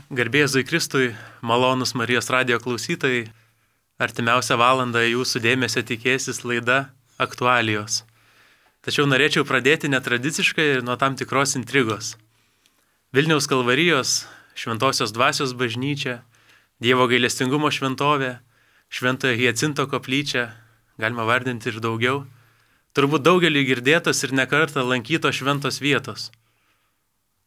Garbė Jėzui Kristui, malonus Marijos radijo klausytojai, artimiausią valandą jūsų dėmesio tikėsis laida Aktualijos. Tačiau norėčiau pradėti netradiciškai ir nuo tam tikros intrigos. Vilniaus Kalvarijos, Šventosios Dvasios bažnyčia, Dievo gailestingumo šventovė, Šventojo Hiacinto koplyčia, galima vardinti ir daugiau, turbūt daugelį girdėtos ir nekartą lankytos šventos vietos.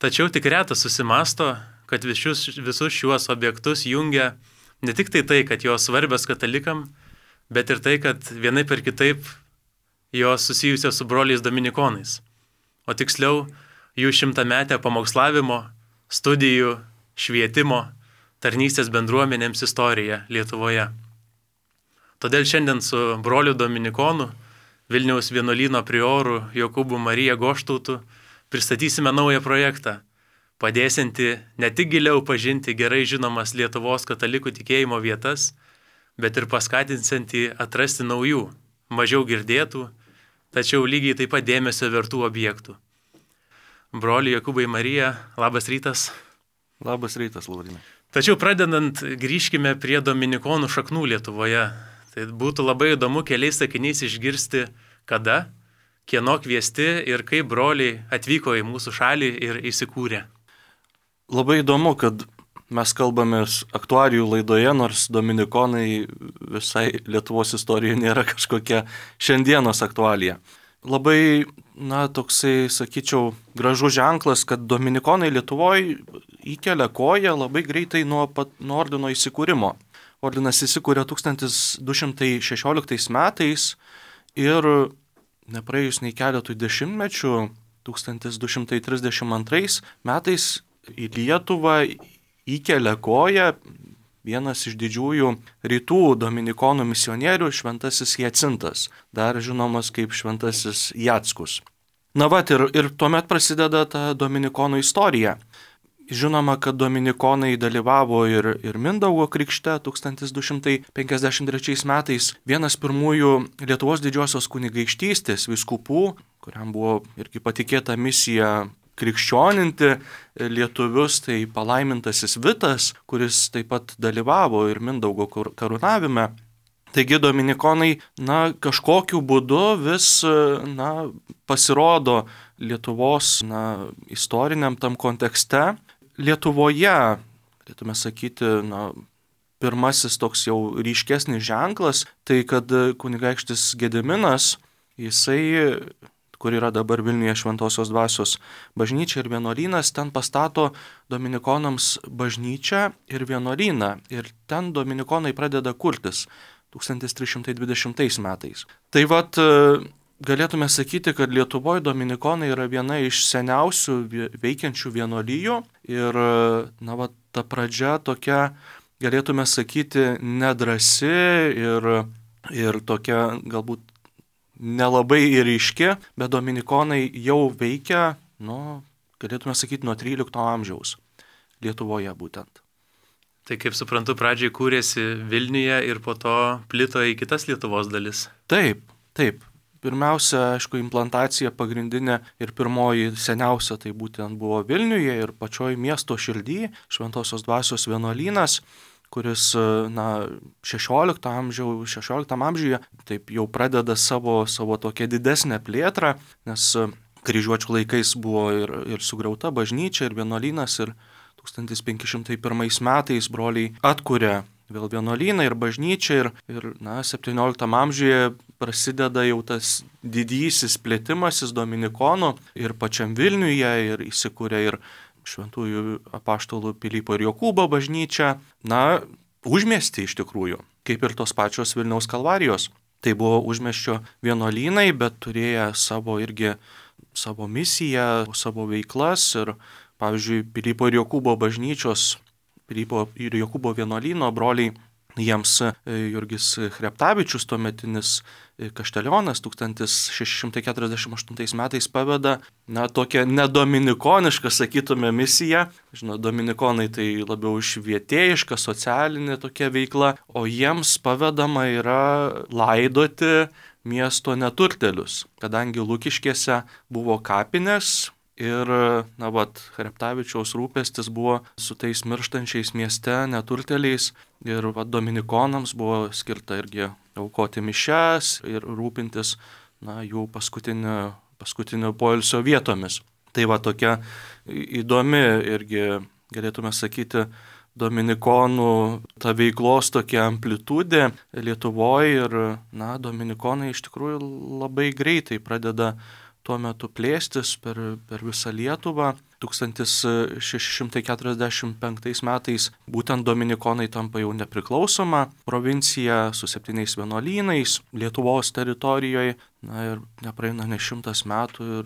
Tačiau tik retas susimąsto, kad visus šiuos objektus jungia ne tik tai, kad jos svarbios katalikam, bet ir tai, kad vienaip ir kitaip jos susijusios su broliais dominikonais. O tiksliau, jų 100-metę pamokslavimo, studijų, švietimo, tarnystės bendruomenėms istorija Lietuvoje. Todėl šiandien su broliu dominikonu, Vilniaus vienuolyno prioru Jokūbu Marija Goštautu pristatysime naują projektą, padėsianti ne tik giliau pažinti gerai žinomas Lietuvos katalikų tikėjimo vietas, bet ir paskatinsianti atrasti naujų, mažiau girdėtų, tačiau lygiai taip pat dėmesio vertų objektų. Broli Jokūbai Marija, labas rytas. Labas rytas, Laurinai. Tačiau pradedant, grįžkime prie dominikonų šaknų Lietuvoje. Tai būtų labai įdomu keliais sakiniais išgirsti, kada, kieno kviesti ir kaip broliai atvyko į mūsų šalį ir įsikūrė. Labai įdomu, kad mes kalbamės aktualijų laidoje, nors dominikonai visai Lietuvos istorijoje nėra kažkokia šiandienos aktualija. Labai, toksai, sakyčiau, gražus ženklas, kad dominikonai Lietuvoje įkelia koją labai greitai nuo ordino įsikūrimo. Ordinas įsikūrė 1216 metais ir nepraėjus nei keletų dešimtmečių, 1232 metais į Lietuvą įkelia koją vienas iš didžiųjų rytų dominikonų misionierių, šventasis Hiacintas, dar žinomas kaip šventasis Jackus. Ir tuomet prasideda ta dominikonų istorija. Žinoma, kad dominikonai dalyvavo ir Mindaugo krikšte 1253 metais. Vienas pirmųjų Lietuvos didžiosios kunigaikštystės vyskupų, kuriam buvo irgi patikėta misija krikščioninti lietuvius, tai palaimintasis Vitas, kuris taip pat dalyvavo ir Mindaugo karūnavime. Taigi dominikonai, kažkokiu būdu vis, pasirodo Lietuvos, istoriniam tam kontekste. Lietuvoje, galėtume sakyti, pirmasis toks jau ryškesnis ženklas, tai kad kunigaikštis Gediminas, jisai, kur yra dabar Vilniuje Šventosios Dvasios bažnyčia ir vienuolynas, ten pastato dominikonams bažnyčią ir vienuolyną. Ir ten dominikonai pradeda kurtis 1320 metais. Tai galėtume sakyti, kad Lietuvoje dominikonai yra viena iš seniausių veikiančių vienuolijų ir ta pradžia tokia, galėtume sakyti, nedrąsi ir tokia galbūt nelabai ir ryški, bet dominikonai jau veikia, galėtume sakyti, nuo 13 amžiaus Lietuvoje būtent. Tai kaip suprantu, pradžiai kūrėsi Vilniuje ir po to plito į kitas Lietuvos dalis. Taip. Pirmiausia, aišku, implantacija pagrindinė ir pirmoji seniausia tai būtent buvo Vilniuje ir pačioj miesto širdy, Šventosios Dvasios vienuolynas, kuris 16 amžiuje taip jau pradeda savo tokią didesnę plėtrą, nes kryžiuočių laikais buvo ir sugriauta bažnyčia ir vienuolynas ir 1501 metais broliai atkuria vėl vienuolyną ir bažnyčią ir 17 amžiuje prasideda jau tas didysis plėtimasis dominikonų ir pačiam Vilniuje ir įsikūrė ir šventųjų apaštalų Pilypo ir Jokūbo bažnyčia, užmiesty iš tikrųjų, kaip ir tos pačios Vilniaus Kalvarijos. Tai buvo užmiesčio vienuolynai, bet turėjo savo misiją, savo veiklas ir, pavyzdžiui, Pilypo ir Jokūbo bažnyčios, Pilypo ir Jokūbo vienuolyno broliai, jiems Jurgis Chreptavičius, tuometinis kaštelionas, 1648 metais paveda tokią nedominikonišką, sakytume, misiją. Dominikonai tai labiau švietėjiška, socialinė tokia veikla, o jiems pavedama yra laidoti miesto neturtėlius, kadangi Lukiškėse buvo kapinės Ir, Chreptavičiaus rūpestis buvo su tais mirštančiais mieste neturtėliais ir dominikonams buvo skirta irgi aukoti mišias ir rūpintis jų paskutinio poilsio vietomis. Tai tokia įdomi irgi, galėtume sakyti, dominikonų ta veiklos tokia amplitudė Lietuvoje ir, dominikonai iš tikrųjų labai greitai pradeda tuo metu plėstis per visą Lietuvą. 1645 metais būtent dominikonai tampa jau nepriklausoma provincija su 7 vienuolynais Lietuvos teritorijoje. Ir nepraeina ne 100 metų ir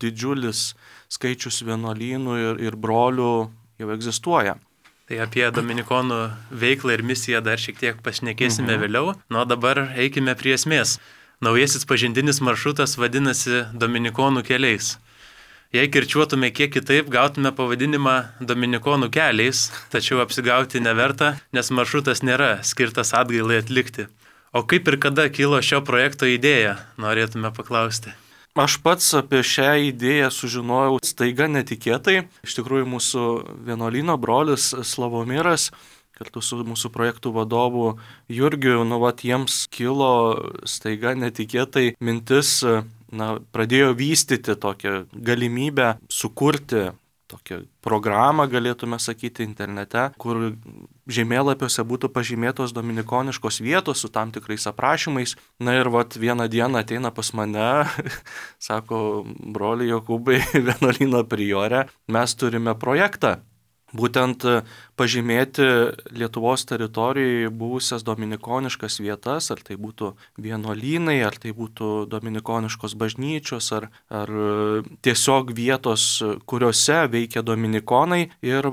didžiulis skaičius vienuolynų ir brolių jau egzistuoja. Tai apie dominikonų veiklą ir misiją dar šiek tiek pašnekėsime vėliau. O dabar eikime prie esmės. Naujasis pažintinis maršrutas vadinasi Dominikonų keliais. Jei kirčiuotume kiek kitaip, gautume pavadinimą Dominikonų keliais, tačiau apsigauti neverta, nes maršrutas nėra skirtas atgailai atlikti. O kaip ir kada kilo šio projekto idėja, norėtume paklausti. Aš pats apie šią idėją sužinojau staiga netikėtai. Iš tikrųjų mūsų vienuolyno brolis Slavomiras kartu su mūsų projektų vadovu Jurgiu, jiems kilo staiga netikėtai mintis, pradėjo vystyti tokią galimybę sukurti tokią programą, galėtume sakyti, internete, kur žemėlapiuose būtų pažymėtos dominikoniškos vietos su tam tikrais aprašymais. Ir vieną dieną ateina pas mane, sako, broli Jokūbai, vienuolyno priore, mes turime projektą. Būtent pažymėti Lietuvos teritorijoje buvusias dominikoniškas vietas, ar tai būtų vienuolynai, ar tai būtų dominikoniškos bažnyčios, ar tiesiog vietos, kuriuose veikia dominikonai ir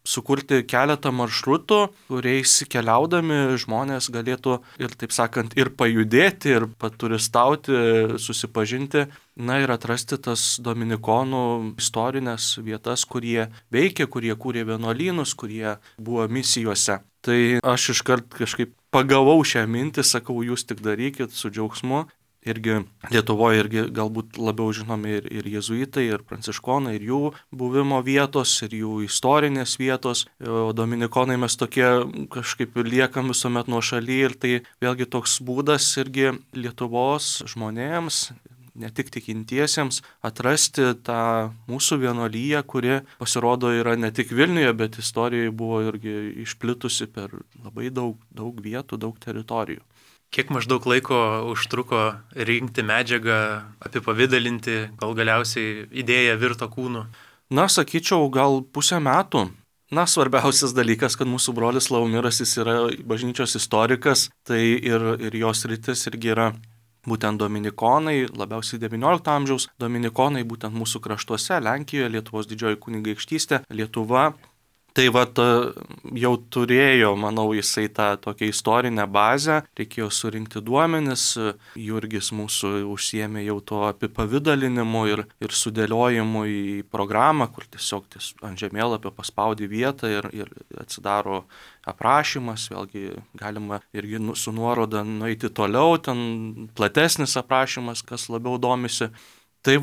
sukurti keletą maršrutų, kuriais keliaudami žmonės galėtų ir, taip sakant, ir pajudėti, ir paturistauti, susipažinti, ir atrasti tas dominikonų istorinės vietas, kurie veikia, kurie kūrė vienuolynus, kurie buvo misijose. Tai aš iškart kažkaip pagavau šią mintį, sakau, jūs tik darykit su džiaugsmu. Irgi Lietuvoje galbūt labiau žinomi ir jėzuitai, ir pranciškonai, ir jų buvimo vietos, ir jų istorinės vietos. O dominikonai mes tokie kažkaip liekam visuomet nuošaly ir tai vėlgi toks būdas irgi Lietuvos žmonėms, ne tik tikintiesiems, atrasti tą mūsų vienuolyją, kuri pasirodo yra ne tik Vilniuje, bet istorijoje buvo irgi išplitusi per labai daug vietų, daug teritorijų. Kiek maždaug laiko užtruko rinkti medžiagą, apipavidalinti, gal galiausiai idėja virto kūnu? Sakyčiau, gal pusę metų. Svarbiausias dalykas, kad mūsų brolis Slavomiras, jis yra bažnyčios istorikas, tai ir jos rytis irgi yra būtent dominikonai, labiausiai XIX amžiaus dominikonai, būtent mūsų kraštuose, Lenkijoje, Lietuvos didžioji kunigaikštystė, Lietuva. Tai jau turėjo, manau, jisai tą tokią istorinę bazę, reikėjo surinkti duomenis, Jurgis mūsų užsiėmė jau to apipavidalinimu ir sudėliojimu į programą, kur tiesiog ant žemėlapio paspaudi vietą ir atsidaro aprašymas, vėlgi galima irgi su nuoroda nueiti toliau, ten platesnis aprašymas, kas labiau domisi. Tai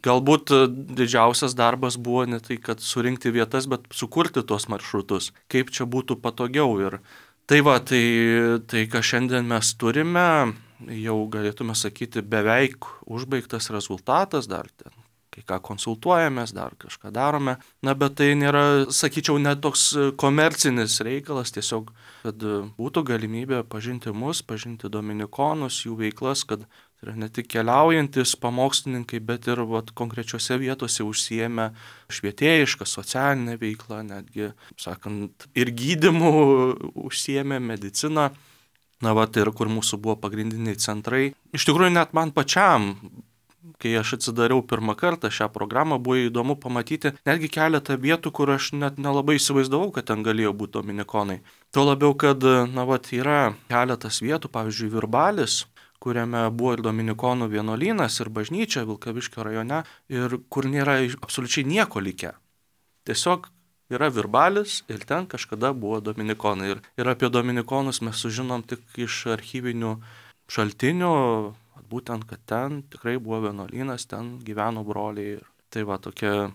galbūt didžiausias darbas buvo ne tai, kad surinkti vietas, bet sukurti tuos maršrutus, kaip čia būtų patogiau. Ir tai, ką šiandien mes turime, jau galėtume sakyti beveik užbaigtas rezultatas, dar ten kai ką konsultuojamės, dar kažką darome. Bet tai nėra, sakyčiau, net toks komercinis reikalas, tiesiog, kad būtų galimybė pažinti mus, pažinti dominikonus, jų veiklas, kad tai yra ne tik keliaujantis pamokslininkai, bet ir konkrečiose vietose užsiėmę švietėjišką, socialinę veiklą, netgi, sakant, ir gydymu užsiėmę mediciną. Ir kur mūsų buvo pagrindiniai centrai. Iš tikrųjų, net man pačiam, kai aš atsidariau pirmą kartą šią programą, buvo įdomu pamatyti netgi keletą vietų, kur aš net nelabai įsivaizdavau, kad ten galėjo būti dominikonai. Tuo labiau, kad yra keletas vietų, pavyzdžiui, Virbalis, kuriame buvo ir dominikonų vienuolynas, ir bažnyčia Vilkaviškio rajone, ir kur nėra absoliučiai nieko likę. Tiesiog yra Virbalis ir ten kažkada buvo dominikonai. Ir apie dominikonus mes sužinom tik iš archyvinių šaltinių, kad būtent, kad ten tikrai buvo vienuolynas, ten gyveno broliai. Tai va tokia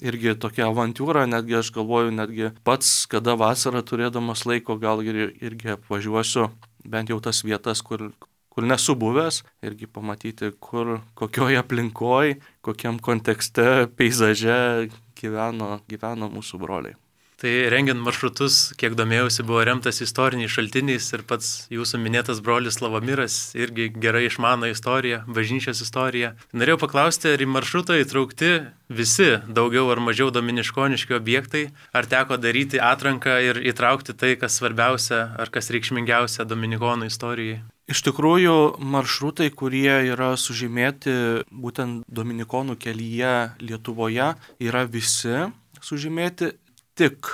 irgi tokia avantiūra, netgi aš galvoju, netgi pats, kada vasarą turėdamas laiko, gal irgi apvažiuosiu bent jau tas vietas, kur nesu buvęs, irgi pamatyti, kokioje aplinkoje, kokiam kontekste, peizaže gyveno mūsų broliai. Tai rengiant maršrutus, kiek domėjausi, buvo remtas istoriniais šaltiniais ir pats jūsų minėtas brolis Slavomiras irgi gerai išmano istoriją, bažnyčios istoriją. Norėjau paklausti, ar į maršrutą įtraukti visi daugiau ar mažiau dominiškoniški objektai, ar teko daryti atranką ir įtraukti tai, kas svarbiausia ar kas reikšmingiausia dominikonų istorijai? Iš tikrųjų, maršrutai, kurie yra sužymėti būtent dominikonų kelyje Lietuvoje, yra visi sužymėti. Tik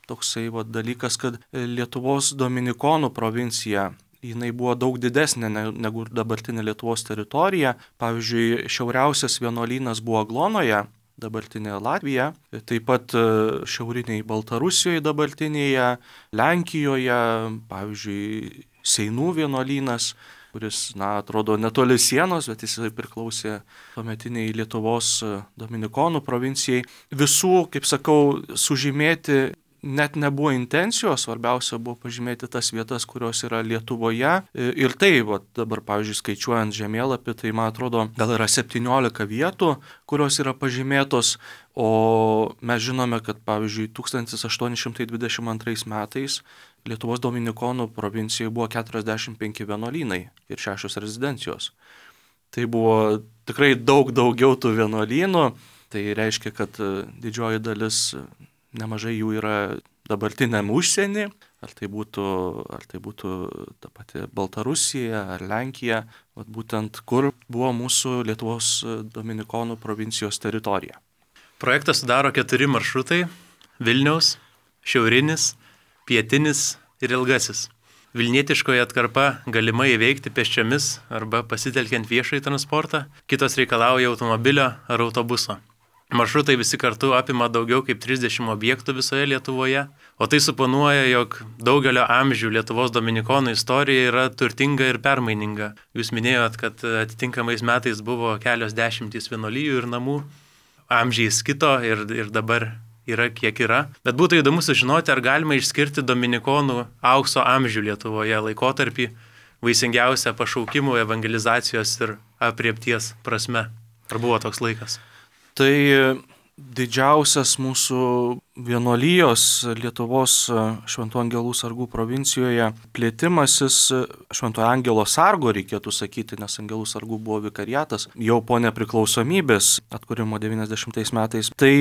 toksai dalykas, kad Lietuvos dominikonų provincija, jinai buvo daug didesnė negu dabartinė Lietuvos teritorija. Pavyzdžiui, šiauriausias vienuolynas buvo Aglonoje, dabartinėje Latvija, taip pat šiauriniai Baltarusijoje dabartinėje, Lenkijoje, pavyzdžiui, Seinų vienuolynas, kuris, atrodo netoli sienos, bet jis priklausė tuometiniai Lietuvos dominikonų provincijai. Visų, kaip sakau, sužymėti net nebuvo intencijos, svarbiausia buvo pažymėti tas vietas, kurios yra Lietuvoje. Ir tai, dabar, pavyzdžiui, skaičiuojant žemėlapį, tai, man atrodo, gal yra 17 vietų, kurios yra pažymėtos, o mes žinome, kad, pavyzdžiui, 1822 metais Lietuvos dominikonų provincijoje buvo 45 vienuolynai ir 6 rezidencijos. Tai buvo tikrai daug daugiau tų vienuolynų, tai reiškia, kad didžioji dalis, nemažai jų yra dabartiniam užsienį, ar tai būtų ta pati Baltarusija ar Lenkija, būtent kur buvo mūsų Lietuvos dominikonų provincijos teritorija. Projektą sudaro 4 maršrutai – Vilniaus, šiaurinis, pietinis ir ilgasis. Vilnietiškoje atkarpa galima įveikti pėsčiomis arba pasitelkiant viešąjį transportą, kitos reikalauja automobilio ar autobuso. Maršrutai visi kartu apima daugiau kaip 30 objektų visoje Lietuvoje, o tai suponuoja, jog daugelio amžių Lietuvos dominikonų istorija yra turtinga ir permaininga. Jūs minėjot, kad atitinkamais metais buvo kelios dešimtys vienuolijų ir namų, amžiais kito ir dabar yra kiek yra. Bet būtų įdomu sužinoti, ar galima išskirti dominikonų aukso amžių Lietuvoje laikotarpį vaisingiausią pašaukimų, evangelizacijos ir apriepties prasme. Ar buvo toks laikas? Tai didžiausias mūsų vienuolijos Lietuvos Šventų Angelų sargų provincijoje plėtimasis Šventojo Angelo sargo, reikėtų sakyti, nes Angelų sargų buvo vikariatas, jau po nepriklausomybės atkūrimo 90 metais. Tai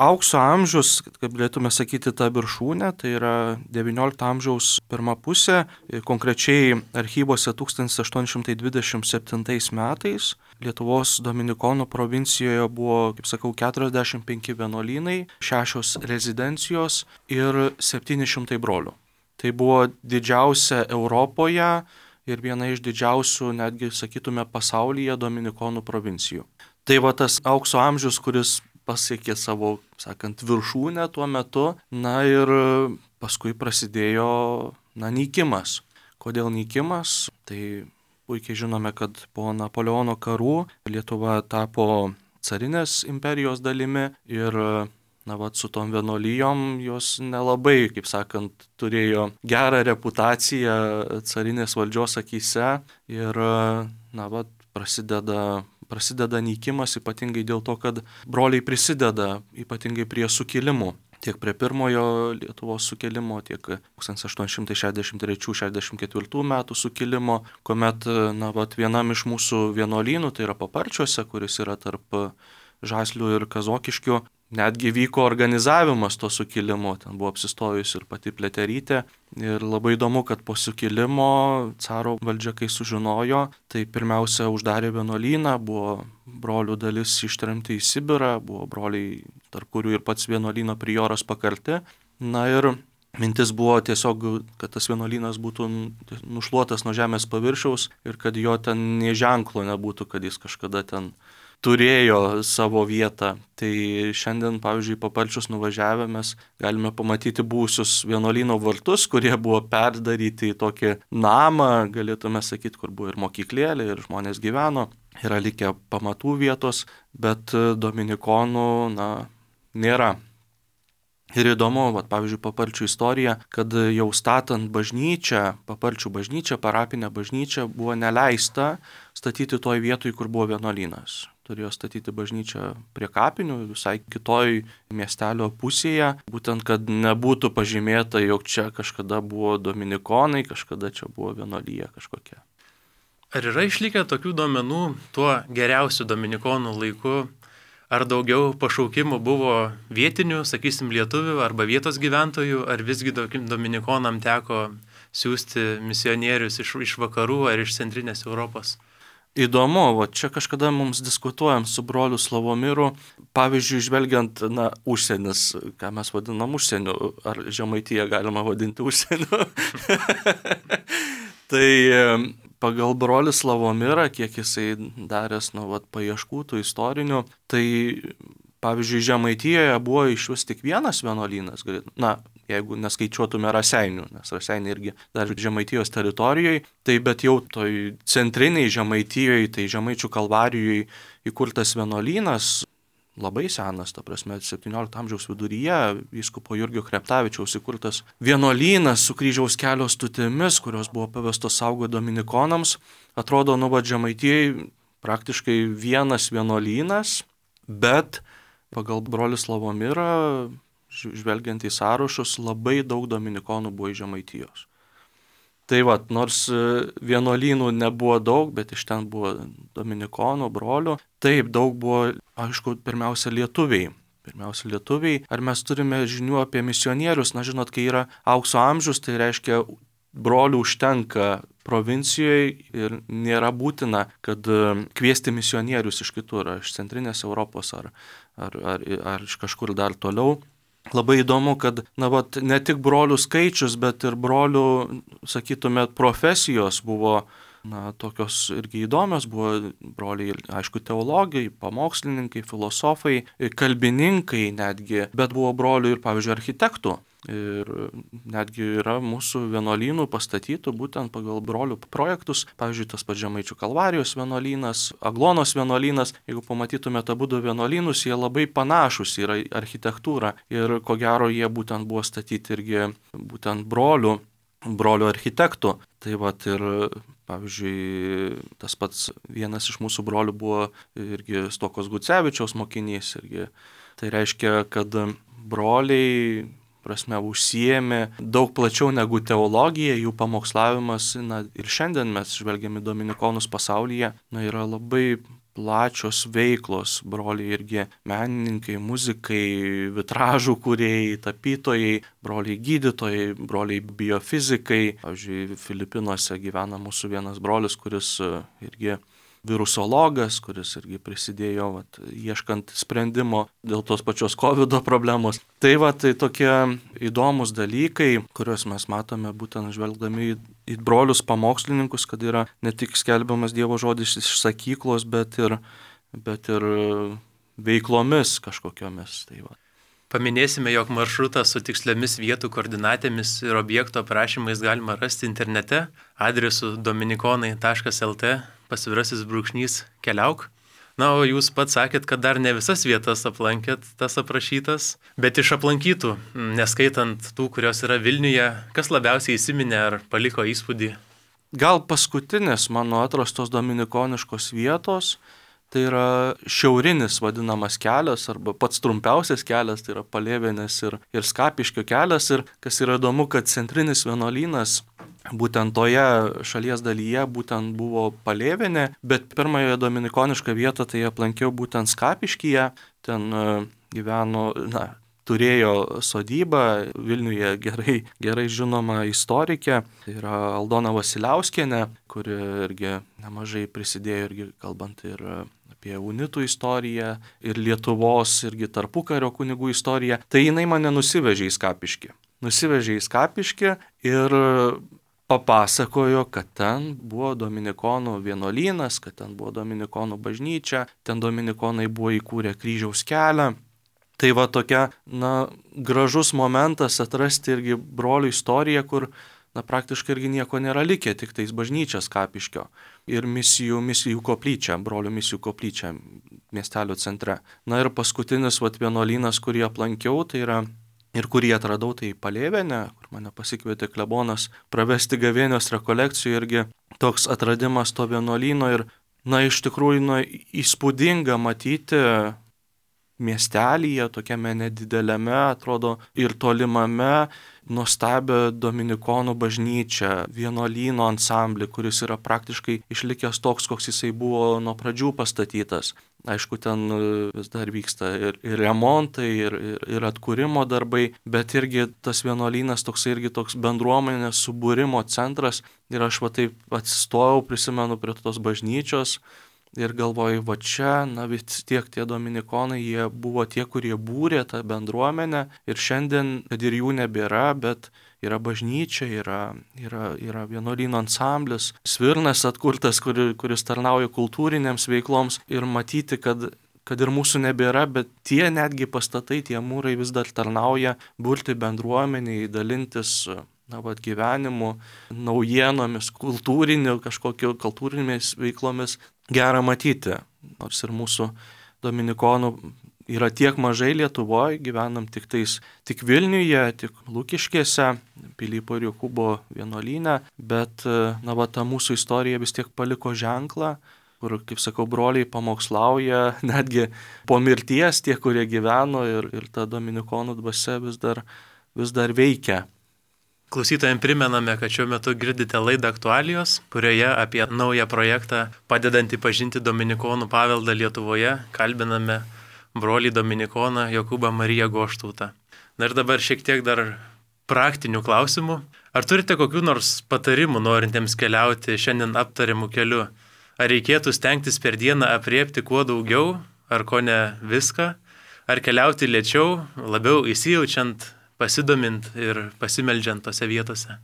aukso amžius, kaip galėtume sakyti, ta viršūnė, tai yra 19 amžiaus pirma pusė, konkrečiai archyvuose 1827 metais. Lietuvos dominikonų provincijoje buvo, kaip sakau, 45 vienuolynai, 6 rezidencijos ir 700 brolių. Tai buvo didžiausia Europoje ir viena iš didžiausių, netgi sakytume, pasaulyje dominikonų provincijų. Tai va tas aukso amžius, kuris pasiekė savo, sakant, viršūnę tuo metu, ir paskui prasidėjo, nykimas. Kodėl nykimas? Tai puikiai žinome, kad po Napoleono karų Lietuva tapo carinės imperijos dalimi ir su tom vienuolijom jos nelabai, kaip sakant, turėjo gerą reputaciją carinės valdžios akyse ir prasideda nykimas ypatingai dėl to, kad broliai prisideda ypatingai prie sukilimų. Tiek prie pirmojo Lietuvos sukilimo, tiek 1863-64 metų sukilimo, kuomet vienam iš mūsų vienuolynų, tai yra Paparčiuose, kuris yra tarp Žaslių ir Kazokiškių, netgi vyko organizavimas to sukilimo, ten buvo apsistojusi ir pati Pliaterytė. Ir labai įdomu, kad po sukilimo caro valdžia, kai sužinojo, tai pirmiausia uždarė vienuolyną, buvo brolių dalis ištremti į Sibirą, buvo broliai, tarp kurių ir pats vienuolyno prioras pakarti. Ir mintis buvo tiesiog, kad tas vienuolynas būtų nušluotas nuo žemės paviršiaus ir kad jo ten nė ženklo nebūtų, kad jis kažkada ten turėjo savo vietą. Tai šiandien, pavyzdžiui, Paparčius nuvažiavę mes galime pamatyti buvusius vienuolyno vartus, kurie buvo perdaryti į tokį namą, galėtume sakyti, kur buvo ir mokyklėlė, ir žmonės gyveno. Yra likę pamatų vietos, bet dominikonų, nėra. Ir įdomu, pavyzdžiui, Paparčių istorija, kad jau statant bažnyčią, Paparčių bažnyčią, parapinę bažnyčią, buvo neleista statyti toj vietoj, kur buvo vienuolynas. Turėjo statyti bažnyčią prie kapinių, visai kitoj miestelio pusėje, būtent, kad nebūtų pažymėta, jog čia kažkada buvo dominikonai, kažkada čia buvo vienuolyja kažkokia. Ar yra išlikę tokių duomenų tuo geriausiu dominikonų laiku? Ar daugiau pašaukimų buvo vietinių, sakysim, lietuvių arba vietos gyventojų, ar visgi dominikonam teko siūsti misionierius iš vakarų ar iš centrinės Europos? Įdomu, čia kažkada mums diskutuojam su broliu Slavomiru, pavyzdžiui, žvelgiant, užsienis, ką mes vadinam užsieniu, ar Žemaitiją galima vadinti užsieniu. Tai pagal brolį Slavomirą, kiek jisai daręs paieškų tų istorinių, tai pavyzdžiui Žemaitijoje buvo iš vis tik vienas vienuolynas, jeigu neskaičiuotume Raseinių, nes Raseiniai irgi dar Žemaitijos teritorijoje, tai bet jau toj centriniai Žemaitijoje, tai Žemaičių Kalvarijoje įkurtas vienuolynas, labai senas, ta prasme, 17 amžiaus viduryje vyskupo Jurgio Kreptavičiaus įkurtas vienuolynas su kryžiaus kelio stutimis, kurios buvo pavestos saugoti dominikonams. Atrodo, Žemaitijai praktiškai vienas vienuolynas, bet pagal brolį Slavomirą, žvelgiant į sąrašus, labai daug dominikonų buvo iš Žemaitijos. Tai nors vienuolynų nebuvo daug, bet iš ten buvo dominikonų, brolių. Taip, daug buvo, aišku, pirmiausia lietuviai. Ar mes turime žinių apie misionierius? Žinot, kai yra aukso amžius, tai reiškia, brolių užtenka provincijoje ir nėra būtina, kad kviesti misionierius iš kitur, iš centrinės Europos ar iš kažkur dar toliau. Labai įdomu, kad ne tik brolių skaičius, bet ir brolių, sakytume, profesijos buvo tokios irgi įdomios. Buvo broliai, aišku, teologai, pamokslininkai, filosofai, kalbininkai netgi, bet buvo brolių ir, pavyzdžiui, architektų. Ir netgi yra mūsų vienuolynų pastatytų būtent pagal brolių projektus. Pavyzdžiui, tas pats Žemaičių Kalvarijos vienuolynas, Aglonos vienuolynas. Jeigu pamatytumėte abudu vienuolynus, jie labai panašus yra architektūra. Ir ko gero jie būtent buvo statyti irgi būtent brolių architektų. Tai ir, pavyzdžiui, tas pats vienas iš mūsų brolių buvo irgi Stokos Gucevičiaus mokinys. Irgi. Tai reiškia, kad broliai užsiėmė daug plačiau negu teologija, jų pamokslavimas, ir šiandien mes žvelgiame dominikonus pasaulyje, yra labai plačios veiklos, broliai irgi menininkai, muzikai, vitražų kūrėjai, tapytojai, broliai gydytojai, broliai biofizikai. Pavyzdžiui, Filipinuose gyvena mūsų vienas brolis, kuris irgi virusologas, kuris irgi prisidėjo ieškant sprendimo dėl tos pačios COVID problemos. Tai tokie įdomus dalykai, kuriuos mes matome būtent žvelgdami į brolius pamokslininkus, kad yra ne tik skelbiamas Dievo žodis iš sakyklos, bet ir veiklomis kažkokiomis. Paminėsime, jog maršrutą su tiksliomis vietų koordinatėmis ir objekto aprašymais galima rasti internete adresu dominikonai.lt /keliauk. O jūs pats sakėt, kad dar ne visas vietas aplankėt, tas aprašytas, bet iš aplankytų, neskaitant tų, kurios yra Vilniuje, kas labiausiai įsiminė ar paliko įspūdį? Gal paskutinės mano atrastos dominikoniškos vietos, tai yra šiaurinis vadinamas kelias, arba pats trumpiausias kelias, tai yra Palėvenės ir Skapiškio kelias. Ir kas yra įdomu, kad centrinis vienuolynas būtent toje šalies dalyje būtent buvo Palėvenė, bet pirmąją dominikonišką vietą tai aplankiau būtent Skapiškyje. Ten gyveno, turėjo sodybą Vilniuje gerai žinoma istorikė, tai yra Aldona Vasiliauskienė, kuri irgi nemažai prisidėjo irgi kalbant ir apie unitų istoriją ir Lietuvos irgi tarpukario kunigų istoriją. Tai jinai mane nusivežė į Skapiškį ir papasakojo, kad ten buvo dominikonų vienuolynas, kad ten buvo dominikonų bažnyčia, ten dominikonai buvo įkūrę kryžiaus kelią. Tai va tokia, gražus momentas atrasti irgi brolių istoriją, kur, praktiškai irgi nieko nėra likę, tik tais bažnyčias Kapiškio ir misijų koplyčia, brolių misijų koplyčia miestelio centre. Na ir paskutinis vienuolynas, kurį aplankiau, tai yra ir kurį atradau, tai Palėvėne, kur mane pasikvietė klebonas pravesti gavėnios rekolekcijų, irgi toks atradimas to vienuolyno ir, iš tikrųjų, įspūdinga matyti miestelyje, tokiame nedidelėme, atrodo, ir tolimame, nuostabią dominikonų bažnyčią, vienuolyno ansamblį, kuris yra praktiškai išlikęs toks, koks jisai buvo nuo pradžių pastatytas. Aišku, ten vis dar vyksta ir remontai, ir atkūrimo darbai, bet irgi tas vienuolynas toks bendruomenės subūrimo centras. Ir aš taip atsistojau, prisimenu prie tos bažnyčios ir galvoju, čia, vis tiek tie dominikonai, jie buvo tie, kurie būrė tą bendruomenę ir šiandien, kad ir jų nebėra, bet yra bažnyčia, yra vienuolyno ansamblis, Svirnas atkurtas, kuris tarnauja kultūrinėms veikloms ir matyti, kad ir mūsų nebėra, bet tie netgi pastatai, tie mūrai vis dar tarnauja burti bendruomeniai, dalintis gyvenimu, naujienomis, kultūrinėmis veiklomis. Gera matyti, nors ir mūsų dominikonų yra tiek mažai Lietuvoje, gyvenam tik Vilniuje, tik Lukiškėse, Pilypo ir Jokūbo vienuolyne, bet ta mūsų istorija vis tiek paliko ženklą, kur, kaip sakau, broliai pamokslauja, netgi po mirties tie, kurie gyveno ir ta dominikonų dvasia vis dar veikia. Klausytojams primename, kad šiuo metu girdite laidą Aktualijos, kurioje apie naują projektą padedantį pažinti dominikonų paveldą Lietuvoje kalbiname brolį dominikoną Jokūbą Mariją Goštautą. Ir dabar šiek tiek dar praktinių klausimų. Ar turite kokių nors patarimų norintiems keliauti šiandien aptariamų keliu? Ar reikėtų stengtis per dieną apriepti kuo daugiau, ar ko ne viską? Ar keliauti lėčiau, labiau įsijaučiant, pasidomint ir pasimeldžiant tose vietose?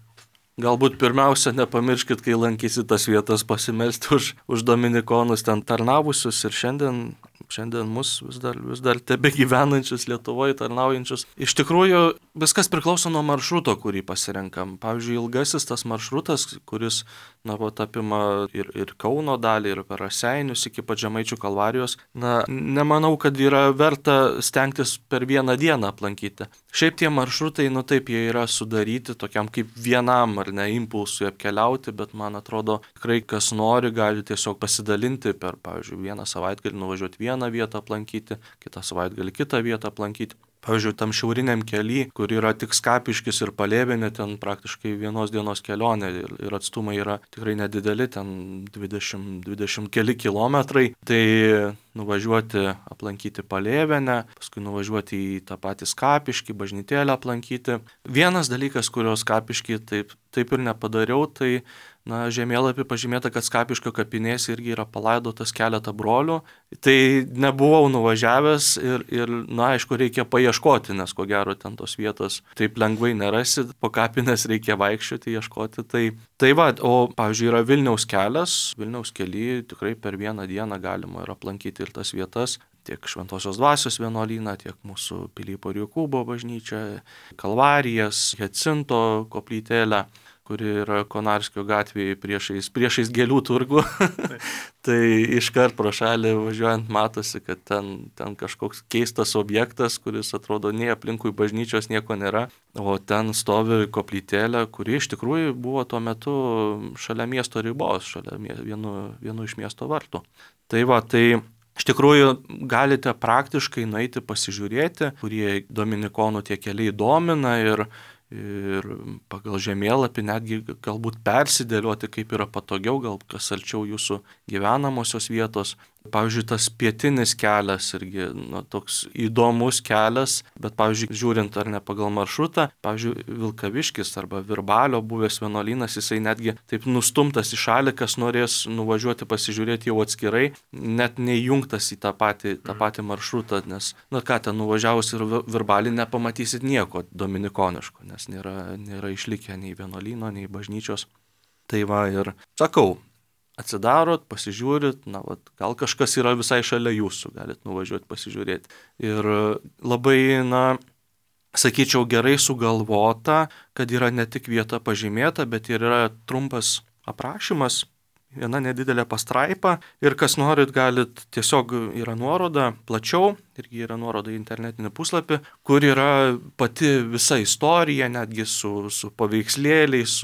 Galbūt pirmiausia, nepamirškit, kai lankysit tas vietas, pasimelsti už dominikonus ten tarnavusius ir šiandien mus vis dar tebe gyvenančius Lietuvoje, tarnaujančius. Iš tikrųjų, viskas priklauso nuo maršruto, kurį pasirenkam. Pavyzdžiui, ilgasis tas maršrutas, kuris apima ir Kauno dalį, ir per Raseinius iki pat Žemaičių Kalvarijos, nemanau, kad yra verta stengtis per vieną dieną aplankyti. Šiaip tie maršrutai, taip, jie yra sudaryti tokiam kaip vienam ar ne impulsui apkeliauti, bet man atrodo, tikrai kas nori, gali tiesiog pasidalinti per, pavyzdžiui, vieną savaitgalį nuvažiuoti vieną vietą aplankyti, kitą savaitgalį kitą vietą aplankyti. Pavyzdžiui, tam šiauriniam kely, kur yra tik Skapiškis ir Palėvėnė, ten praktiškai vienos dienos kelionė ir atstumai yra tikrai nedideli, ten 20 keli kilometrai. Tai nuvažiuoti aplankyti Palėvėnę, paskui nuvažiuoti į tą patį Skapiškį, bažnytėlę aplankyti. Vienas dalykas, kurio Skapiškį taip ir nepadariau, tai žemėlapį pažymėta, kad Skapiškio kapinėse irgi yra palaidotas keletą brolių. Tai nebuvau nuvažiavęs ir aišku, reikia paieškoti, nes ko gero ten tos vietos taip lengvai nerasi, po kapines reikia vaikščioti, ieškoti. Tai o pavyzdžiui yra Vilniaus kelias, Vilniaus kely tikrai per vieną dieną galima ir aplankyti ir tas vietas. Tiek Šventosios Dvasios vienuolyną, tiek mūsų Pilypo ir Jokūbo bažnyčią, Kalvarijas, Jacinto koplytėlę, kuri yra Konarskio gatvėje priešais gėlių turgų. Tai iškart pro šalį važiuojant matosi, kad ten kažkoks keistas objektas, kuris atrodo nei aplinkui bažnyčios nieko nėra, o ten stovi koplytėlė, kuri iš tikrųjų buvo tuo metu šalia miesto ribos, šalia vienu iš miesto vartų. Tai iš tikrųjų galite praktiškai nueiti pasižiūrėti, kurie dominikonų tie keliai domina ir pagal žemėlapį netgi galbūt persidėlioti, kaip yra patogiau, gal kas arčiau jūsų gyvenamosios vietos. Pavyzdžiui, tas pietinis kelias irgi toks įdomus kelias, bet, pavyzdžiui, žiūrint ar ne pagal maršrutą, pavyzdžiui, Vilkaviškis arba Virbalio buvęs vienuolynas, jisai netgi taip nustumtas į šalį, kas norės nuvažiuoti pasižiūrėti jau atskirai, net neįjungtas į tą patį maršrutą, nes, ten nuvažiavus ir Virbalį nepamatysit nieko dominikoniško, nes nėra išlikę nei vienuolyno, nei bažnyčios. Tai va ir sakau, atsidarot, pasižiūrit, gal kažkas yra visai šalia jūsų, galit nuvažiuoti pasižiūrėti. Ir labai, sakyčiau, gerai sugalvota, kad yra ne tik vieta pažymėta, bet ir yra trumpas aprašymas, viena nedidelė pastraipa ir kas norit, galit, tiesiog yra nuoroda plačiau, irgi yra nuoroda į internetinį puslapį, kur yra pati visa istorija, netgi su paveikslėliais,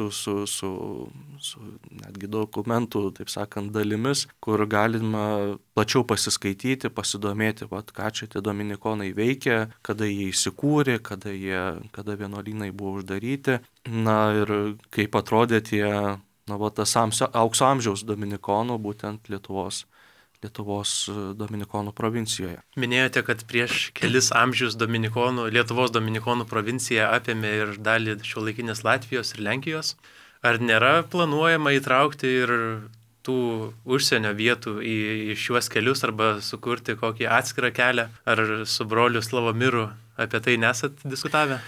su netgi dokumentų, taip sakant, dalimis, kur galima plačiau pasiskaityti, pasidomėti, ką čia tie dominikonai veikia, kada jie įsikūrė, kada vienuolynai buvo uždaryti, ir kaip atrodė tie tas aukso amžiaus dominikonų, būtent Lietuvos dominikonų provincijoje. Minėjote, kad prieš kelis amžius Lietuvos dominikonų provincija apėmė ir dalį šiuolaikinės Latvijos ir Lenkijos. Ar nėra planuojama įtraukti ir tų užsienio vietų į šiuos kelius arba sukurti kokį atskirą kelią? Ar su broliu Slavomiru apie tai nesat diskutavę?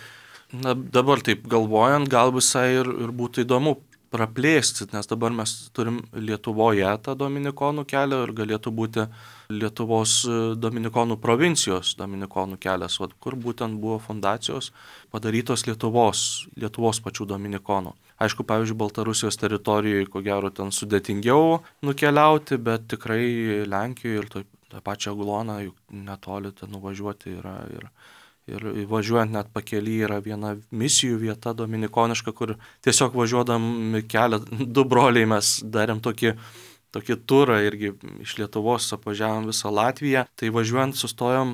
Dabar taip galvojant, gal visai ir būtų įdomu praplėsti, nes dabar mes turim Lietuvoje tą dominikonų kelią ir galėtų būti Lietuvos dominikonų provincijos dominikonų kelias, kur būtent buvo fundacijos padarytos Lietuvos pačių dominikonų. Aišku, pavyzdžiui, Baltarusijos teritorijoje, ko gero, ten sudėtingiau nukeliauti, bet tikrai Lenkijoje ir tą pačią Agloną juk netoli ten nuvažiuoti yra ir važiuojant net pakely yra viena misijų vieta dominikoniška, kur tiesiog važiuodami kelią, du broliai mes darėm tokį turą irgi iš Lietuvos, apvažiavom visą Latviją, tai važiuojant sustojom,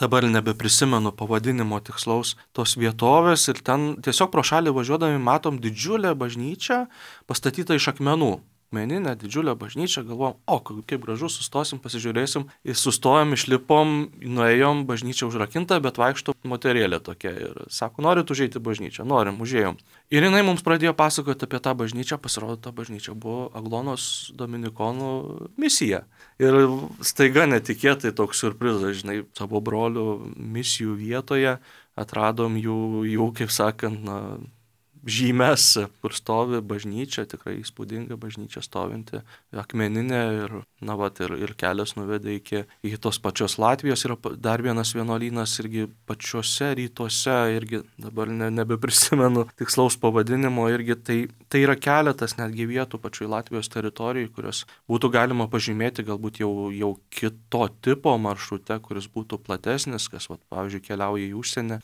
dabar nebeprisimenu pavadinimo tikslaus tos vietovės ir ten tiesiog pro šalį važiuodami matom didžiulę bažnyčią pastatytą iš akmenų. Meninę didžiulę bažnyčią, galvojom, kaip gražu, sustosim, pasižiūrėsim. Ir sustojom, išlipom, nuėjom, bažnyčia užrakinta, bet vaikšto moterėlė tokia. Ir sako, norit užeiti bažnyčią? Norim, užėjom. Ir jinai mums pradėjo pasakoti apie tą bažnyčią, pasirodo, ta bažnyčia buvo Aglonos dominikonų misija. Ir staiga netikėtai toks siurprizas, savo brolių misijų vietoje atradom jų kaip sakant, žymes, kur stovi bažnyčia, tikrai įspūdinga bažnyčia stovinti, akmeninė ir kelias nuvedė iki tos pačios Latvijos. Yra dar vienas vienuolynas irgi pačiuose rytuose, irgi dabar nebeprisimenu tikslaus pavadinimo, irgi tai yra keletas netgi vietų pačioj Latvijos teritorijai, kurios būtų galima pažymėti galbūt jau kito tipo maršrute, kuris būtų platesnis, kas, pavyzdžiui, keliauja į užsienį.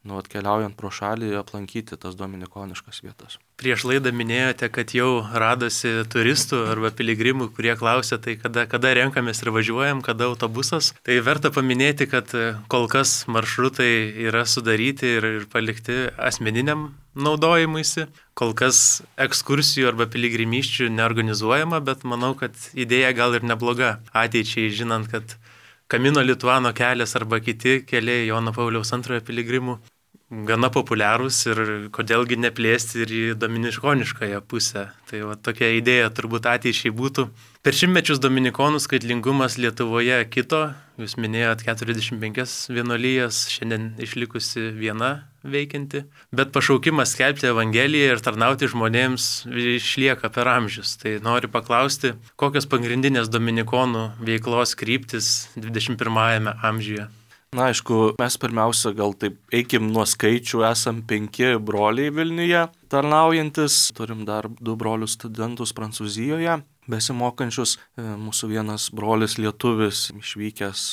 Atkeliaujant pro šalį aplankyti tas dominikoniškas vietas. Prieš laidą minėjote, kad jau radosi turistų arba piligrimų, kurie klausia, tai kada renkamės ir važiuojam, kada autobusas. Tai verta paminėti, kad kol kas maršrutai yra sudaryti ir palikti asmeniniam naudojimuisi. Kol kas ekskursijų arba piligrimysčių neorganizuojama, bet manau, kad idėja gal ir nebloga ateičiai, žinant, kad Kamino Lituano kelias arba kiti keliai Jono Pauliaus II piligrimų gana populiarūs ir kodėlgi neplėsti ir į dominiškoniškąją pusę. Tai tokia idėja turbūt ateičiai būtų. Per šimtmečius dominikonų skaitlingumas Lietuvoje kito. Jūs minėjot 45 vienuolijas, šiandien išlikusi viena veikianti. Bet pašaukimas skelbti Evangeliją ir tarnauti žmonėms išlieka per amžius. Tai noriu paklausti, kokios pagrindinės dominikonų veiklos kryptis 21 amžiuje? Aišku, mes pirmiausia gal taip eikim nuo skaičių, esam 5 broliai Vilniuje tarnaujantis, turim dar 2 brolius studentus Prancūzijoje, besimokančius, mūsų vienas brolis lietuvis išvykęs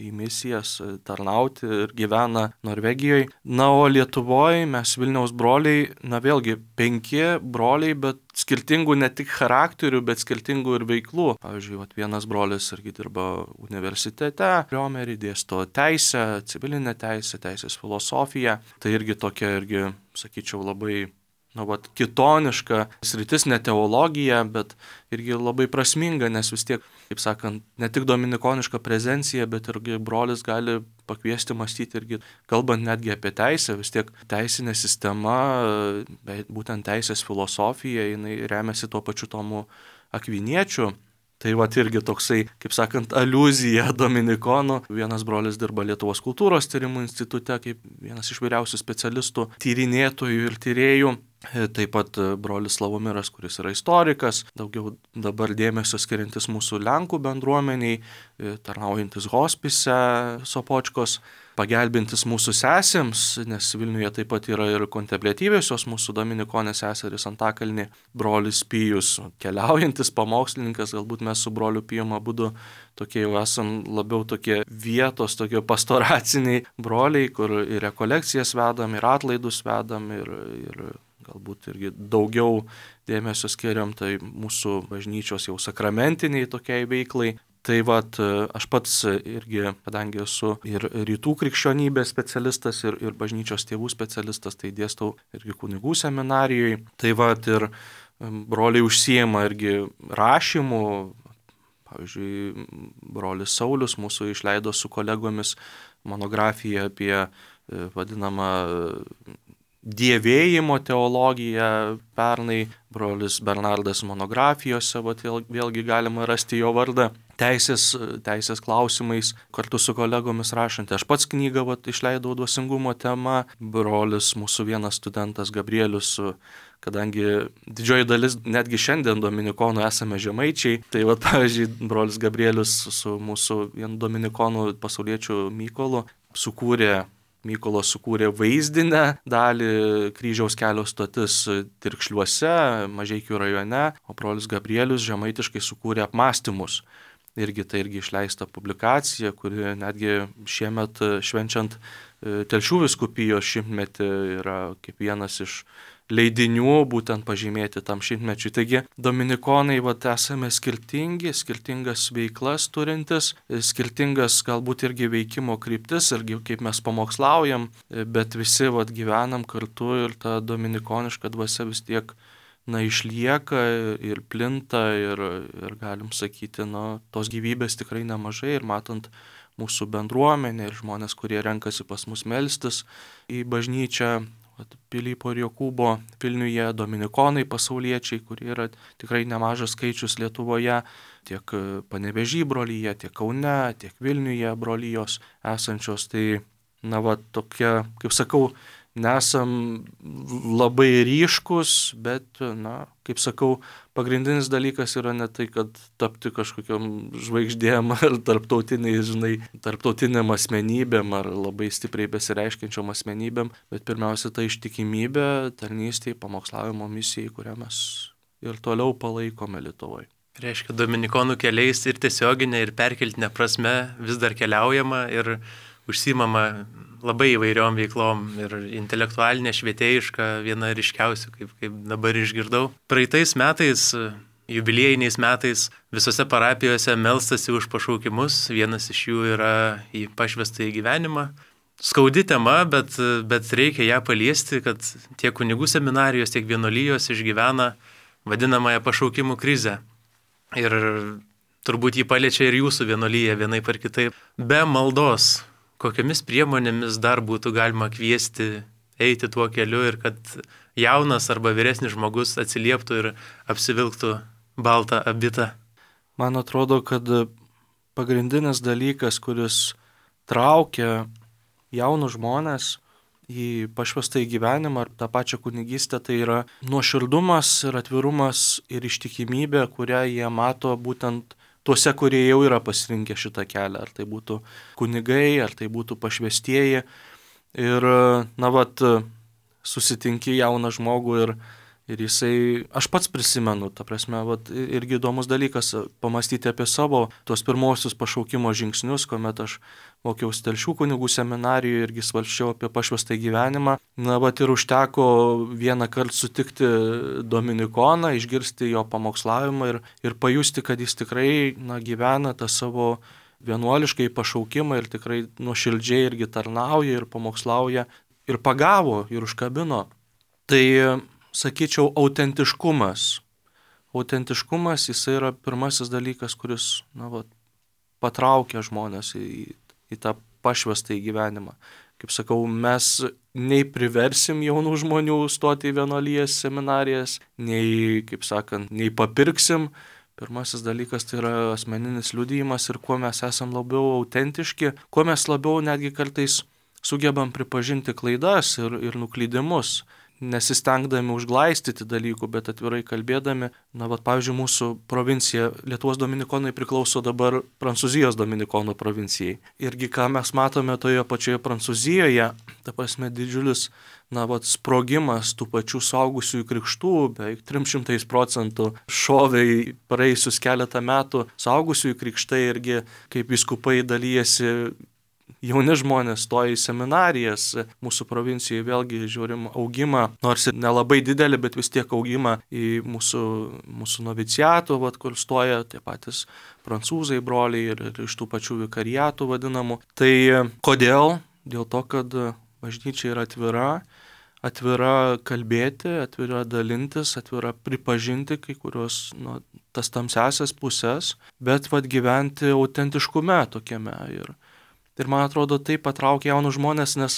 į misijas tarnauti ir gyvena Norvegijoje. O Lietuvoje mes Vilniaus broliai, vėlgi 5 broliai, bet skirtingų ne tik charakterių, bet skirtingų ir veiklų. Pavyzdžiui, vienas brolis irgi dirba universitete, Riomerį dėsto teisę, civilinę teisę, teisės filosofiją. Tai irgi tokia, sakyčiau, labai kitoniška sritis, ne teologija, bet irgi labai prasminga, nes vis tiek, kaip sakant, ne tik dominikoniška prezencija, bet irgi brolis gali pakviesti mąstyti irgi, kalbant netgi apie teisę, vis tiek teisinė sistema, būtent teisės filosofija, jinai remiasi tuo pačiu Tomu Akviniečiu. Tai irgi toksai, kaip sakant, aliuzija dominikonų. Vienas brolis dirba Lietuvos kultūros tyrimų institute kaip vienas iš vyriausių specialistų, tyrinėtojų ir tyrėjų. Taip pat brolis Slavomiras, kuris yra istorikas, daugiau dabar dėmesio skiriantis mūsų Lenkų bendruomeniai, tarnaujantis hospise Sopočkos, pagelbintis mūsų sesėms, nes Vilniuje taip pat yra ir kontempliatyviosios mūsų dominikonės seserys Antakalny, brolis Pijus, keliaujantis pamokslininkas, galbūt mes su broliu Pijum abudu tokie jau esam labiau tokie vietos, tokie pastoraciniai broliai, kur ir rekolekcijas vedam, ir atlaidus vedam, ir galbūt irgi daugiau dėmesio skiriam tai mūsų bažnyčios jau sakramentiniai tokiai veiklai. Tai aš pats irgi, kadangi esu ir rytų krikščionybės specialistas, ir bažnyčios tėvų specialistas, tai dėstau irgi kunigų seminarijoje. Tai ir broliai užsiema irgi rašymu. Pavyzdžiui, brolis Saulius mūsų išleido su kolegomis monografiją apie vadinamą dievėjimo teologiją pernai, brolis Bernardas monografijose, vėlgi galima rasti jo vardą, teisės klausimais, kartu su kolegomis rašanti. Aš pats knygą išleidau dvasingumo tema, brolis mūsų vienas studentas Gabrielius, kadangi didžioji dalis, netgi šiandien dominikonų esame žemaičiai, tai pavyzdžiui, brolis Gabrielius su mūsų vienu dominikonu pasauliečiu Mykolas sukūrė vaizdinę dalį kryžiaus kelio stotis Tirkšliuose, Mažeikių rajone, o brolis Gabrielius žemaitiškai sukūrė apmąstymus. Tai irgi išleista publikacija, kuri netgi šiemet švenčiant Telšių vyskupijos šimtmetį yra kaip vienas iš leidinių būtent pažymėti tam šimtmečiui. Taigi dominikonai esame skirtingi, skirtingas veiklas turintis, skirtingas galbūt irgi veikimo kryptis, irgi kaip mes pamokslaujam, bet visi gyvenam kartu ir ta dominikoniška dvasia vis tiek išlieka ir plinta ir galim sakyti, tos gyvybės tikrai nemažai ir matant mūsų bendruomenę ir žmonės, kurie renkasi pas mus melstis į bažnyčią, Pilypo ir Jokūbo Vilniuje, dominikonai pasauliečiai, kurie yra tikrai nemažas skaičius Lietuvoje, tiek Panevėžy brolyje, tiek Kaune, tiek Vilniuje brolyjos esančios. Tai, tokia, kaip sakau, nesam labai ryškus, bet, kaip sakau, pagrindinis dalykas yra ne tai, kad tapti kažkokiam žvaigždėm ar tarptautiniam asmenybėm ar labai stipriai besireiškiančiom asmenybėm, bet pirmiausia ta ištikimybė tarnystei, pamokslavimo misijai, kurią mes ir toliau palaikome Lietuvoje. Reiškia, dominikonų keliais ir tiesioginė, ir perkeltinė prasme vis dar keliaujama ir užsiimama labai įvairiom veiklom ir intelektualinė, švietėjiška, viena ryškiausių, kaip dabar išgirdau. Praeitais metais, jubiliejiniais metais, visose parapijose melstasi už pašaukimus, vienas iš jų yra į pašvestąjį gyvenimą. Skaudi tema, bet reikia ją paliesti, kad tiek kunigų seminarijos, tiek vienuolijos išgyvena vadinamąją pašaukimų krizę. Ir turbūt jį paliečia ir jūsų vienuolyje vienaip ar kitaip. Be maldos, kokiamis priemonėmis dar būtų galima kviesti eiti tuo keliu ir kad jaunas arba vyresnis žmogus atsilieptų ir apsivilktų baltą abitą? Man atrodo, kad pagrindinis dalykas, kuris traukia jaunus žmonės į pašvestąjį gyvenimą ar tą pačią kunigystę, tai yra nuoširdumas ir atvirumas ir ištikimybė, kurią jie mato būtent tuose, kurie jau yra pasirinkę šitą kelią, ar tai būtų kunigai, ar tai būtų pašvestieji. Ir, susitinki jauną žmogų ir jisai, aš pats prisimenu, ta prasme, irgi įdomus dalykas pamastyti apie savo tuos pirmosius pašaukimo žingsnius, kuomet aš mokiausi Telšių kunigų seminarijoje irgi svarsčiau apie pašvestąjį gyvenimą. Ir užteko vieną kartą sutikti dominikoną, išgirsti jo pamokslavimą ir pajusti, kad jis tikrai gyvena tą savo vienuoliškai pašaukimą ir tikrai nuoširdžiai irgi tarnauja ir pamokslauja ir pagavo ir užkabino. Tai sakyčiau, autentiškumas. Autentiškumas, jisai yra pirmasis dalykas, kuris, patraukia žmonės į tą pašvestą į gyvenimą. Kaip sakau, mes nei priversim jaunų žmonių stoti į vienuolijas, seminarijas, nei, kaip sakant, nei papirksim. Pirmasis dalykas tai yra asmeninis liudijimas ir kuo mes esam labiau autentiški, kuo mes labiau netgi kartais sugebam pripažinti klaidas ir nuklydimus, nesistengdami užglaistyti dalykų, bet atvirai kalbėdami. Pavyzdžiui, mūsų provincija, Lietuvos dominikonai priklauso dabar Prancūzijos dominikonų provincijai. Irgi ką mes matome toje pačioje Prancūzijoje, ta prasme didžiulis sprogimas tų pačių suaugusiųjų krikštų, beveik 300% šoviai praėjusius keletą metų suaugusiųjų krikštai irgi, kaip vyskupai dalyjasi. Jauni žmonės stoja į seminarijas, mūsų provincijoje vėlgi žiūrim augimą, nors ir nelabai didelį, bet vis tiek augimą į mūsų noviciatų, kur stoja tie patys prancūzai broliai ir iš tų pačių vikariatų vadinamų. Tai kodėl? Dėl to, kad bažnyčia yra atvira kalbėti, atvira dalintis, atvira pripažinti kai kurios tas tamsiasias pusės, bet gyventi autentiškume tokiame. Ir man atrodo, tai patraukia jaunus žmonės, nes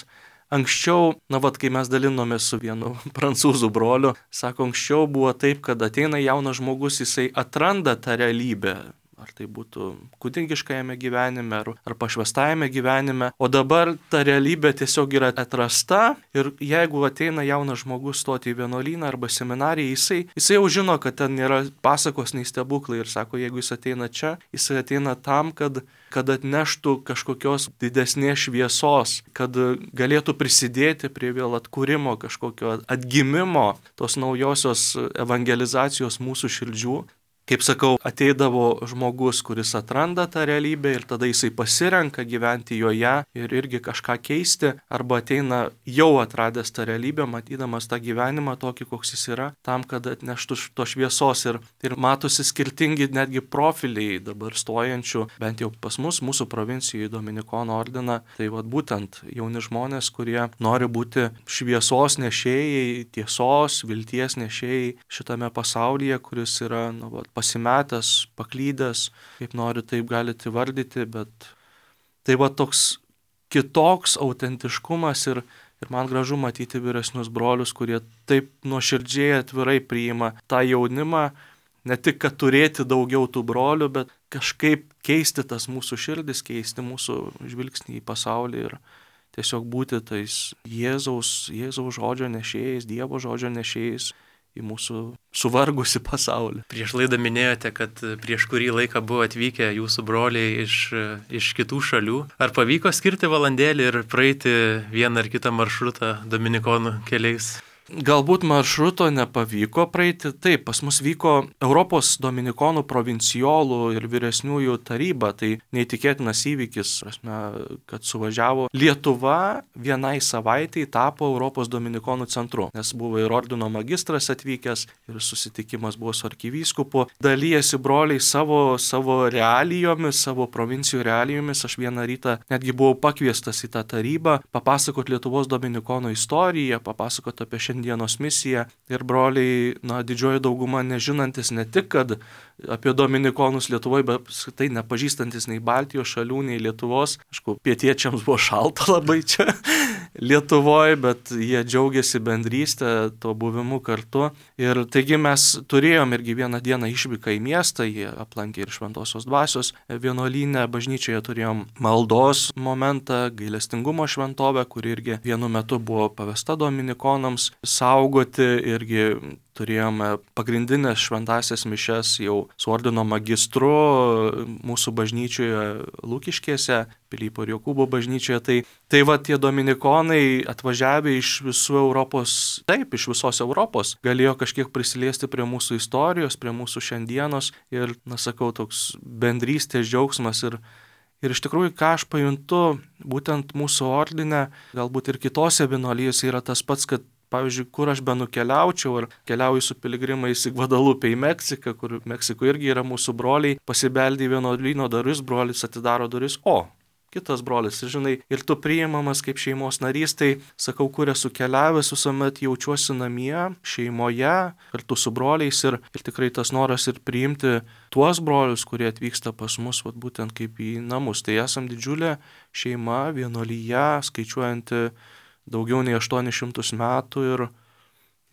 anksčiau, kai mes dalinomės su vienu prancūzų broliu, sako, anksčiau buvo taip, kad ateina jaunas žmogus, jisai atranda tą realybę. Ar tai būtų kunigiškajame gyvenime, ar pašvestajame gyvenime. O dabar ta realybė tiesiog yra atrasta ir jeigu ateina jaunas žmogus stoti į vienuolyną arba seminariją, jisai jau žino, kad ten nėra pasakos nei stebuklai ir sako, jeigu jis ateina čia, jisai ateina tam, kad atneštų kažkokios didesnės šviesos, kad galėtų prisidėti prie vėl atkūrimo, kažkokio atgimimo, tos naujosios evangelizacijos mūsų širdžių. Kaip sakau, ateidavo žmogus, kuris atranda tą realybę ir tada jisai pasirenka gyventi joje ir irgi kažką keisti, arba ateina jau atradęs tą realybę, matydamas tą gyvenimą tokį, koks jis yra, tam, kad atneštų to šviesos ir matosi skirtingi netgi profiliai dabar stojančių, bent jau pas mus, mūsų provincijoje Dominikonų ordiną, tai būtent jauni žmonės, kurie nori būti šviesos nešėjai, tiesos, vilties nešėjai šitame pasaulyje, kuris yra, pasimetęs, paklydęs, kaip nori, taip galite įvardyti, bet tai toks kitoks autentiškumas ir man gražu matyti vyresnius brolius, kurie taip nuoširdžiai atvirai priima tą jaunimą, ne tik, kad turėti daugiau tų brolių, bet kažkaip keisti tas mūsų širdis, keisti mūsų žvilgsnį į pasaulį ir tiesiog būti tais Jėzaus žodžio nešėjais, Dievo žodžio nešėjais į mūsų suvargusi pasaulį. Prieš laidą minėjote, kad prieš kurį laiką buvo atvykę jūsų broliai iš kitų šalių. Ar pavyko skirti valandėlį ir praeiti vieną ar kitą maršrutą dominikonų keliais? Galbūt maršruto nepavyko praeiti. Taip, pas mus vyko Europos dominikonų provincijolų ir vyresniųjų taryba. Tai neįtikėtinas įvykis, kad suvažiavo Lietuva vienai savaitei tapo Europos dominikonų centru. Nes buvo ir ordino magistras atvykęs ir susitikimas buvo su arkivyskupu. Dalyjasi broliai savo realijomis, savo provincijų realijomis. Aš vieną rytą netgi buvau pakviestas į tą tarybą papasakoti Lietuvos dominikonų istoriją, papasakoti apie dienos misiją ir broliai, didžioji dauguma nežinantis ne tik, kad apie dominikonus Lietuvoje, bet tai nepažįstantis nei Baltijos šalių, nei Lietuvos. Aišku, pietiečiams buvo šalta labai čia Lietuvoje, bet jie džiaugiasi bendrystę, to buvimu kartu. Ir taigi mes turėjom irgi vieną dieną išvyką į miestą, jie aplankė ir Šventosios dvasios vienuolyne, bažnyčioje turėjom maldos momentą, gailestingumo šventovę, kuri irgi vienu metu buvo pavesta dominikonams saugoti, irgi turėjome pagrindinės šventasias mišias jau su ordino magistru mūsų bažnyčioje Lukiškėse, Pilypo ir Jokūbo bažnyčioje. Tai tie dominikonai atvažiavę iš visų Europos, iš visos Europos, galėjo kažkiek prisiliesti prie mūsų istorijos, prie mūsų šiandienos ir, toks bendrystės džiaugsmas ir iš tikrųjų, ką aš pajuntu, būtent mūsų ordine, galbūt ir kitose vienuolijose yra tas pats, kad pavyzdžiui, kur aš benukeliaučiau, ar keliauju su piligrimais į Gvadalupę į Meksiką, kur Meksikoje irgi yra mūsų broliai, pasibeldė į vienuolyno duris, brolis atidaro duris, kitas brolis. Ir žinai, ir tu priimamas kaip šeimos narys, tai sakau, kur esu keliavęs, visuomet jaučiuosi namie, šeimoje, kartu su broliais ir tikrai tas noras ir priimti tuos brolius, kurie atvyksta pas mus, vat, būtent kaip į namus. Tai esam didžiulė šeima, vienuolyje, skaičiuojanti daugiau nei 800 metų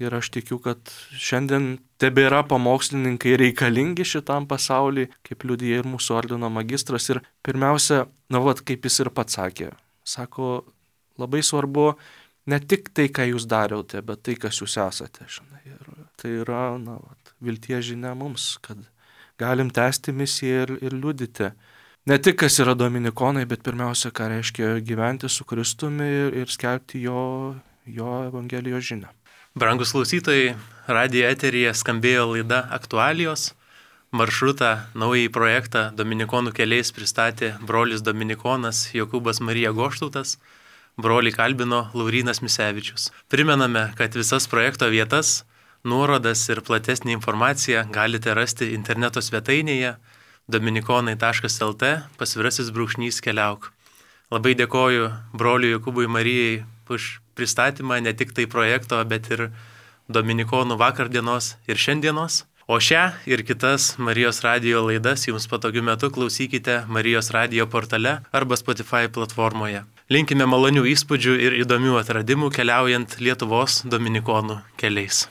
ir aš tikiu, kad šiandien tebėra pamokslininkai reikalingi šitam pasauliui, kaip liudija ir mūsų ordino magistras. Ir pirmiausia, kaip jis ir pats sakė, sako, labai svarbu ne tik tai, ką jūs darėte, bet tai, kas jūs esate. Žinai. Ir tai yra vilties žinia mums, kad galim tęsti misiją ir liudyti. Ne tik, kas yra dominikonai, bet pirmiausia, ką reiškia gyventi su Kristumi ir skelbti jo Evangelijos žinią. Brangus klausytojai, radijo eteryje skambėjo laida Aktualijos. Maršrutą, naująjį projektą Dominikonų keliais pristatė brolis dominikonas Jokūbas Marija Goštautas, brolį kalbino Laurynas Misevičius. Primename, kad visas projekto vietas, nuorodas ir platesnį informaciją galite rasti interneto svetainėje dominikonai.lt /keliauk. Labai dėkoju broliui Jokūbui Marijai už pristatymą ne tik tai projekto, bet ir Dominikonų vakardienos ir šiandienos. O šią ir kitas Marijos radijo laidas jums patogiu metu klausykite Marijos radijo portale arba Spotify platformoje. Linkime malonių įspūdžių ir įdomių atradimų keliaujant Lietuvos Dominikonų keliais.